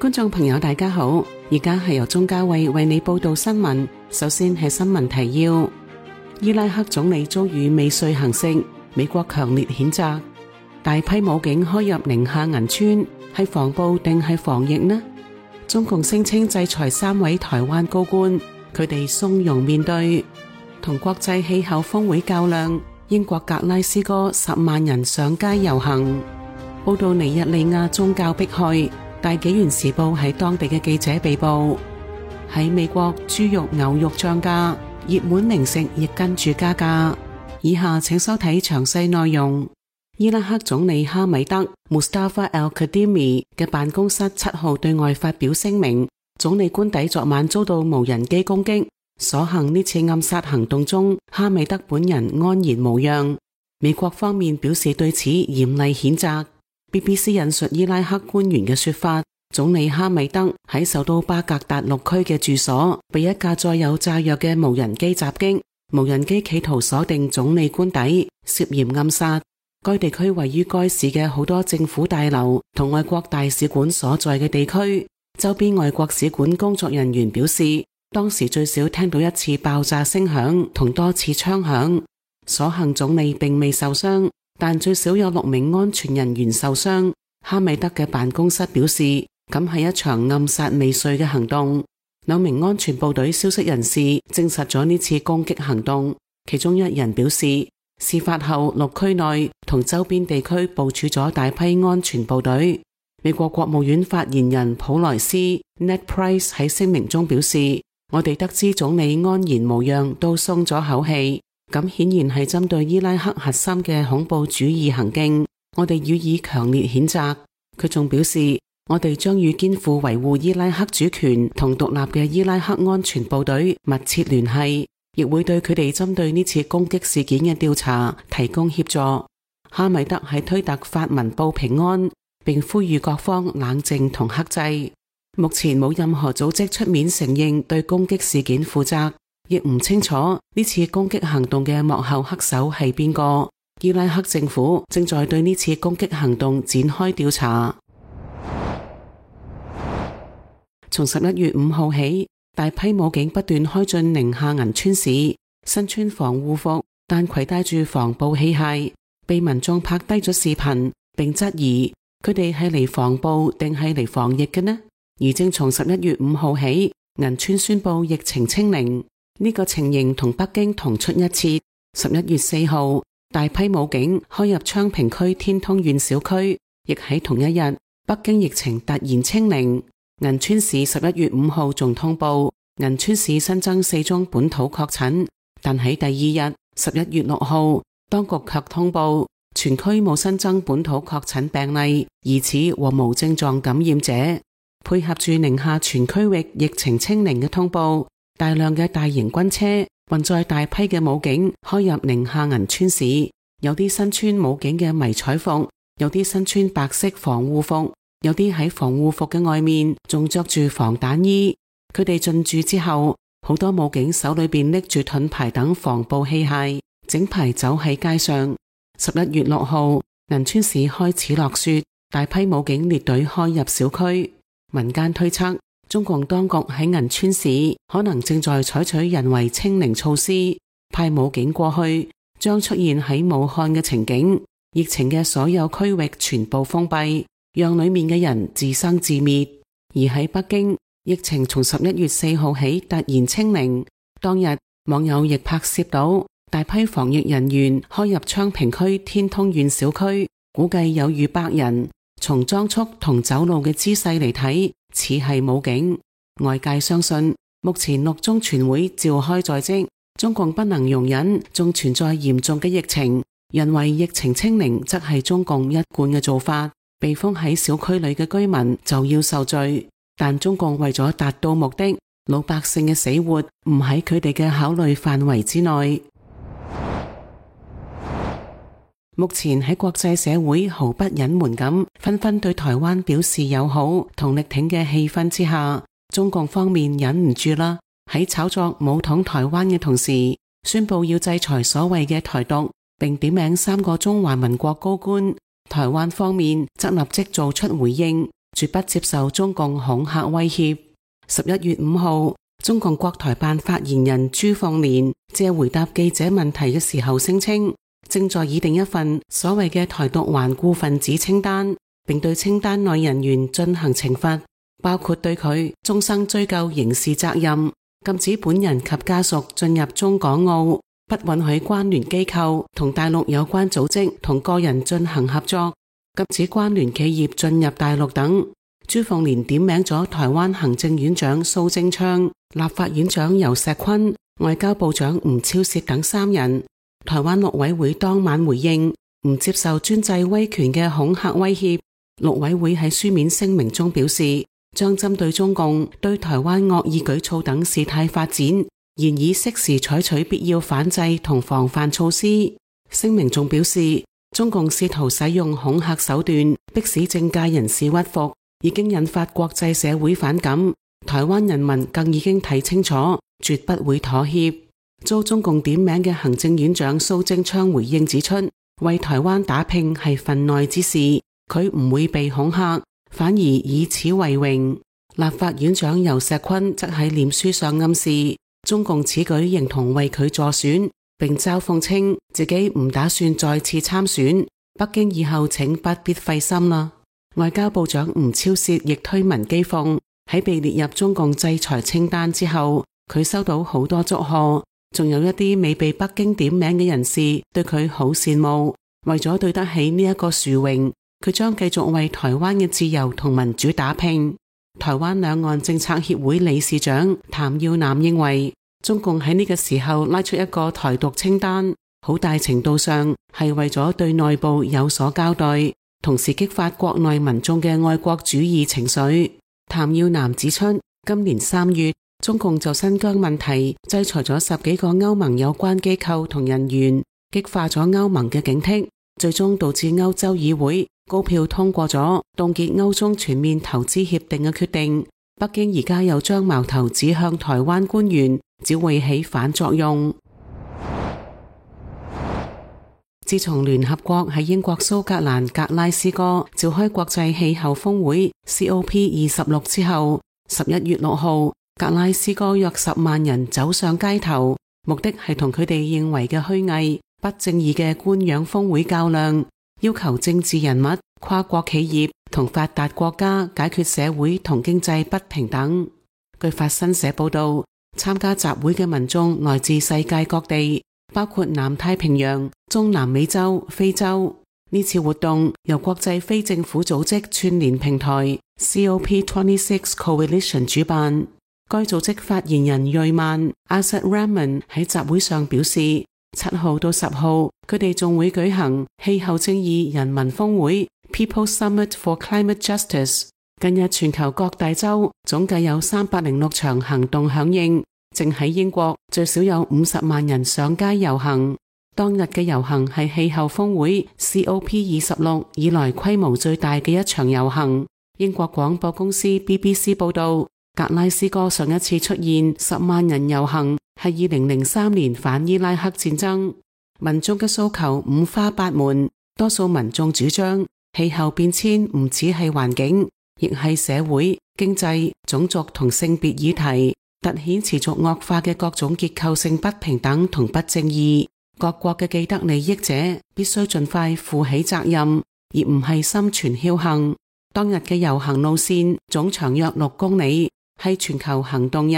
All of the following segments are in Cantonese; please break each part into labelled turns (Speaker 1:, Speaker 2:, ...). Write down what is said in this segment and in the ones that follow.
Speaker 1: 觀眾朋友大家好，而家係由鍾嘉慧為你報道新聞。首先係新聞提要：伊拉克總理遭遇未遂行刺，美國強烈譴責；大批武警開入寧夏銀川，係防暴定係防疫呢？中共聲稱制裁3位台灣高官，佢哋從容面對。同國際氣候峰會較量，英國格拉斯哥10萬人上街遊行。報道尼日利亞宗教迫害，大紀元時報喺當地嘅記者被捕。喺美國，豬肉、牛肉漲價，熱門零食亦跟住加價。以下請收睇詳細內容。伊拉克總理哈米德 Mustafa al-Kadhimi 嘅辦公室7號對外發表聲明，總理官邸昨晚遭到無人機攻擊，所幸呢次暗殺行動中，哈米德本人安然無恙。美國方面表示對此嚴厲譴責。BBC 引述伊拉克官員嘅說法，總理哈米德喺首都巴格達6區嘅住所被一架載有炸藥嘅無人機襲擊，無人機企圖鎖定總理官邸，涉嫌暗殺。該地區位於該市嘅好多政府大樓同外國大使館所在嘅地區，周邊外國使館工作人員表示，當時最少聽到1次爆炸聲響同多次槍響。所幸總理並未受傷，但最少有6名安全人員受傷。哈米德嘅辦公室表示，咁係一場暗殺未遂嘅行動。2名安全部隊消息人士證實咗呢次攻擊行動，其中1人表示，事發後6區內同周邊地區部署咗大批安全部隊。美國國務院發言人普萊斯 Ned Price 喺聲明中表示，我哋得知總理安然無恙都鬆咗口氣，咁顯然係針對伊拉克核心嘅恐怖主義行徑，我哋予以強烈譴責。佢仲表示，我哋將與肩負維護伊拉克主權同獨立嘅伊拉克安全部隊密切聯繫，亦會對佢哋針對呢次攻擊事件嘅調查提供協助。哈米德喺推特發文報平安，並呼籲各方冷靜同克制。目前冇任何組織出面承認對攻擊事件負責，亦唔清楚呢次攻擊行動嘅幕後黑手係邊個。伊拉克政府正在對呢次攻擊行動展開調查。從11月5號起，大批武警不斷開進寧夏銀川市，身穿防護服但攜帶住防暴器械，被民眾拍低咗視頻，並質疑佢哋係嚟防暴定係嚟防疫嘅呢？而正從11月5號起，銀川宣布疫情清零，呢個情形同北京同出一轍。11月4號，大批武警開入昌平區天通縣小區，亦喺同一日，北京疫情突然清零。銀川市11月5號仲通報，銀川市新增4宗本土確診，但喺第二日11月6號，當局卻通報全區冇新增本土確診病例，疑似和無症狀感染者。配合住寧夏全區域疫情清零嘅通報，大量嘅大型軍車運載大批嘅武警開入寧夏銀川市，有啲身穿武警嘅迷彩服，有啲身穿白色防護服，有啲喺防護服嘅外面仲着住防彈衣。佢哋進駐之後，好多武警手裏邊拎住盾牌等防暴器械，整排走喺街上。11月6號，銀川市開始落雪，大批武警列隊開入小區。民間推測，中共當局喺銀川市可能正在採取人為清零措施，派武警過去，將出現喺武漢嘅情景，疫情嘅所有區域全部封閉，讓裏面嘅人自生自滅。而喺北京，疫情從11月4號起突然清零，當日網友亦拍攝到大批防疫人員開入昌平區天通縣小區，估計有逾100人。從裝束同走路嘅姿勢嚟睇，似係武警。外界相信，目前6中全會召開在即，中共不能容忍仲存在嚴重嘅疫情，認為疫情清零則係中共一貫嘅做法，被封喺小區裏嘅居民就要受罪。但中共為咗達到目的，老百姓嘅死活唔喺佢哋嘅考慮範圍之內。目前喺國際社會毫不隱瞞咁紛紛對台灣表示友好同力挺嘅氣氛之下，中共方面忍唔住啦，喺炒作武統台灣嘅同時，宣布要制裁所謂嘅台獨，並點名3個中華民國高官。台灣方面則立即做出回應，絕不接受中共恐嚇威脅。11月5號，中共國台辦發言人朱鳳蓮借回答記者問題嘅時候聲稱，正在擬定一份所謂嘅台獨頑固分子清單，並對清單內人員進行懲罰，包括對佢終生追究刑事責任，禁止本人及家屬進入中港澳，不允許關聯機構同大陸有關組織同個人進行合作，禁止關聯企業進入大陸等。朱鳳蓮點名咗台灣行政院長蘇貞昌、立法院長游錫堃、外交部長吳釗燮等3人。台灣陸委會當晚回應，唔接受專制威權嘅恐嚇威脅。陸委會喺書面聲明中表示，將針對中共對台灣惡意舉措等事態發展，現已適時採取必要反制同防範措施。聲明仲表示，中共試圖使用恐嚇手段迫使政界人士屈服，已經引發國際社會反感，台灣人民更已經睇清楚，絕不會妥協。遭中共點名嘅行政院長蘇貞昌回應指出，為台灣打拼係份內之事，佢唔會被恐嚇，反而以此為榮。立法院長游錫堃則喺臉書上暗示，中共此舉形同為佢助選，並嘲諷稱自己唔打算再次參選，北京以後請不必費心啦。外交部長吳釗燮亦推文譏諷，喺被列入中共制裁清單之後，佢收到好多祝賀，仲有一啲未被北京點名嘅人士對佢好羨慕。為咗對得起呢一個殊榮，佢將繼續為台灣嘅自由同民主打拼。台灣兩岸政策協會理事長譚耀南認為，中共喺呢個時候拉出一個台獨清單，好大程度上係為咗對內部有所交代，同時激發國內民眾嘅愛國主義情緒。譚耀南指出，今年3月，中共就新疆問題制裁咗10幾個歐盟有關機構同人員，激化咗歐盟嘅警惕，最終導致歐洲議會高票通過咗凍結歐中全面投資協定嘅決定。北京而家又將矛頭指向台灣官員，只會起反作用。自從聯合國喺英國蘇格蘭格拉斯哥召開國際氣候峰會 COP26 之後，11月6號，格拉斯哥約10萬人走上街頭，目的係同佢哋認為嘅虛偽、不正義嘅官樣峰會較量，要求政治人物、跨國企業同發達國家解決社會同經濟不平等。據法新社報道，參加集會嘅民眾來自世界各地，包括南太平洋、中南美洲、非洲。呢次活動由國際非政府組織串聯平台 COP26 Coalition 主辦。該組織發言人瑞曼 Asad Rahman 喺集會上表示，7號到10號佢哋仲會舉行氣候正義人民峰會 People Summit for Climate Justice。近日全球各大洲總計有306場行動響應，淨喺英國最少有50萬人上街遊行。當日嘅遊行係氣候峰會 COP26 以來規模最大嘅一場遊行。英國廣播公司 BBC 報道，格拉斯哥上一次出現10萬人遊行係2003年反伊拉克戰爭。民眾嘅訴求五花八門，多數民眾主張氣候變遷唔只係環境，亦係社會、經濟、種族同性別議題，凸顯持續惡化嘅各種結構性不平等同不正義。各國嘅既得利益者必須盡快負起責任，而唔係心存僥倖。當日嘅遊行路線總長約6公里，係全球行動日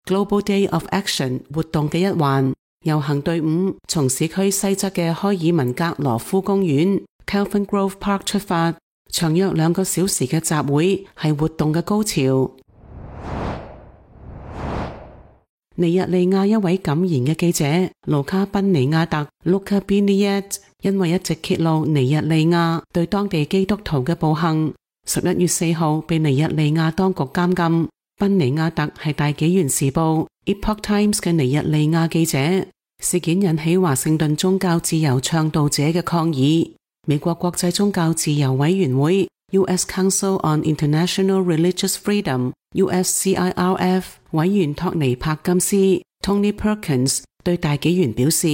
Speaker 1: Global Day of Action 活動嘅一環。遊行隊伍從市區西側嘅開爾文格羅夫公園 Kelvin Grove Park 出發，長約2個小時嘅集會係活動嘅高潮。尼日利亞一位敢言嘅記者盧卡賓尼亞特 Luca Biniat 因為一直揭露尼日利亞對當地基督徒嘅暴行，11月4號被尼日利亞當局監禁。賓尼亞特係大紀元時報 Epoch Times 嘅尼日利亞記者。事件引起華盛頓宗教自由倡導者嘅抗議。美國國際宗教自由委員會 US Council on International Religious Freedom USCIRF 委員托尼柏金斯 Tony Perkins 對大紀元表示，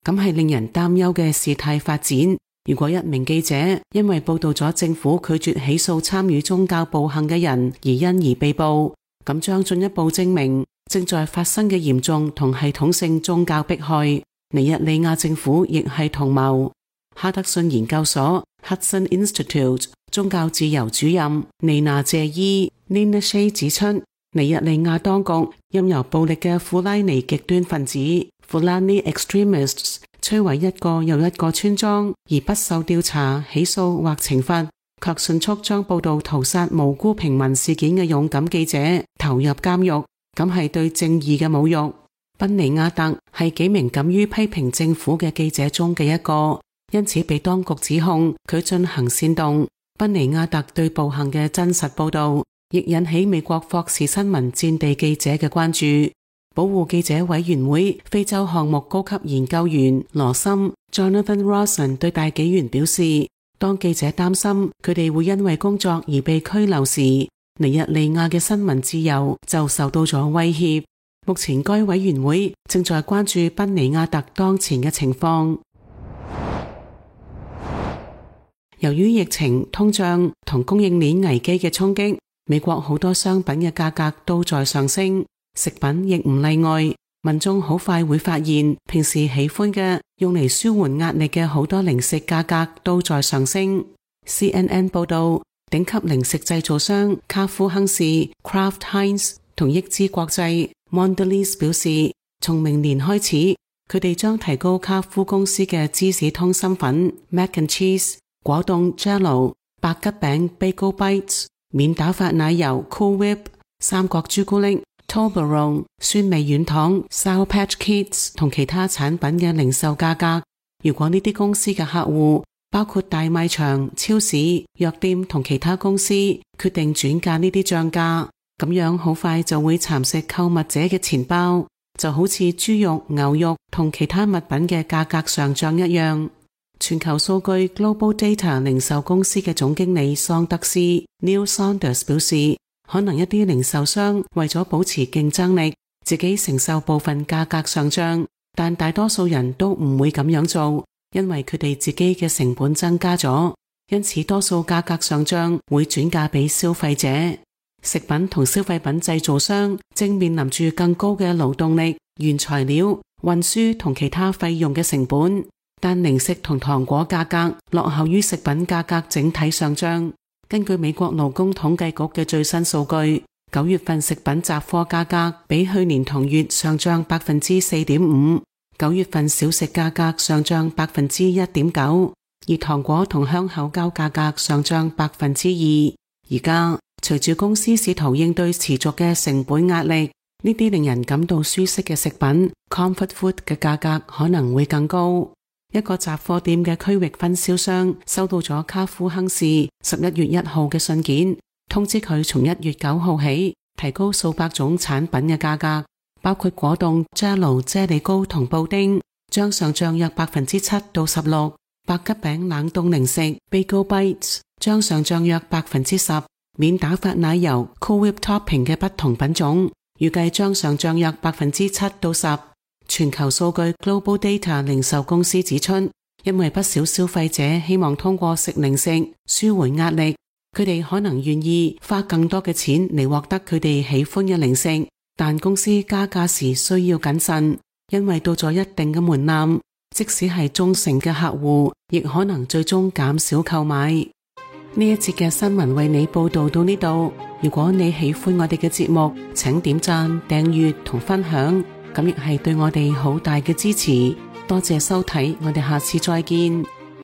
Speaker 1: 咁係令人擔憂嘅事態發展，如果一名記者因為報道咗政府拒絕起訴參與宗教暴行嘅人而因而被捕，咁將進一步證明正在發生嘅嚴重同系統性宗教迫害。尼日利亞政府亦係同謀。哈德遜研究所 Hudson Institute 宗教自由主任尼娜謝伊 Nina Shea 指出，尼日利亞當局任由暴力嘅富拉尼極端分子 Fulani Extremists 摧毀一個又一個村莊，而不受調查、起訴或懲罰，卻迅速將報道屠殺無辜平民事件嘅勇敢記者投入監獄，咁係對正義嘅侮辱。賓尼亞特係幾名敢於批評政府嘅記者中嘅一個，因此被當局指控佢進行煽動。賓尼亞特對暴行嘅真實報道亦引起美國霍士新聞戰地記者嘅關注。保護記者委員會非洲項目高級研究員羅森 Jonathan Rawson 對大紀元表示，當記者擔心佢哋會因為工作而被拘留時，尼日利亞嘅新聞自由就受到咗威脅。目前該委員會正在關注賓尼亞特當前嘅情況。由於疫情、通脹同供應鏈危機嘅衝擊，美國好多商品嘅價格都在上升，食品亦唔例外。民眾好快會發現，平時喜歡嘅用嚟舒緩壓力嘅好多零食價格都在上升。CNN 報道，頂級零食製造商卡夫亨氏 Kraft Heinz 同益之國際 Mondelez 表示，從明年開始，佢哋將提高卡夫公司嘅芝士通心粉 Mac and Cheese、果凍 Jell-O、白吉餅 Bagel Bites、免打發奶油 Cool Whip、三角朱古力Toblerone、酸味軟糖 Sour Patch Kids 同其他產品嘅零售價格。如果呢啲公司嘅客戶包括大賣場、超市、藥店同其他公司決定轉嫁呢啲漲價，咁樣好快就會蠶食購物者嘅錢包，就好似豬肉、牛肉同其他物品嘅價格上漲一樣。全球數據 Global Data 零售公司嘅總經理桑德斯 Neil Saunders 表示，可能一啲零售商為咗保持競爭力，自己承受部分價格上漲，但大多數人都唔會咁樣做，因為佢哋自己嘅成本增加咗，因此多數價格上漲會轉嫁俾消費者。食品同消費品製造商正面臨住更高嘅勞動力、原材料、運輸同其他費用嘅成本，但零食同糖果價格落後於食品價格整體上漲。根據美國勞工統計局嘅最新數據，9月份食品雜貨價格比去年同月上漲 4.5%， 9月份小食價格上漲 1.9%， 而糖果同香口膠價格上漲 2%。而家隨住公司試圖應對持續嘅成本壓力，呢啲令人感到舒適嘅食品 Comfort Food 嘅價格可能會更高。一個雜貨店嘅區域分銷商收到咗卡夫亨氏11月1號嘅信件，通知佢從1月9號起提高數百種產品嘅價格，包括果凍、Jell-O、啫喱糕同布丁，將上漲約 7% 到 16%； 白吉餅冷凍零食 Bagel Bites 將上漲約 10%； 免打發奶油 Cool Whip Topping 嘅不同品種預計將上漲約 7% 到 10%。全球數據 Global Data 零售公司指出，因為不少消費者希望通過食零食舒緩壓力，佢哋可能願意花更多嘅錢嚟獲得佢哋喜歡嘅零食，但公司加價時需要謹慎，因為到咗一定嘅門檻，即使係忠誠嘅客戶，亦可能最終減少購買。呢一節嘅新聞為你報道到呢度。如果你喜歡我哋嘅節目，請點讚、訂閱同分享。咁亦係對我哋好大嘅支持，多謝收睇，我哋下次再見。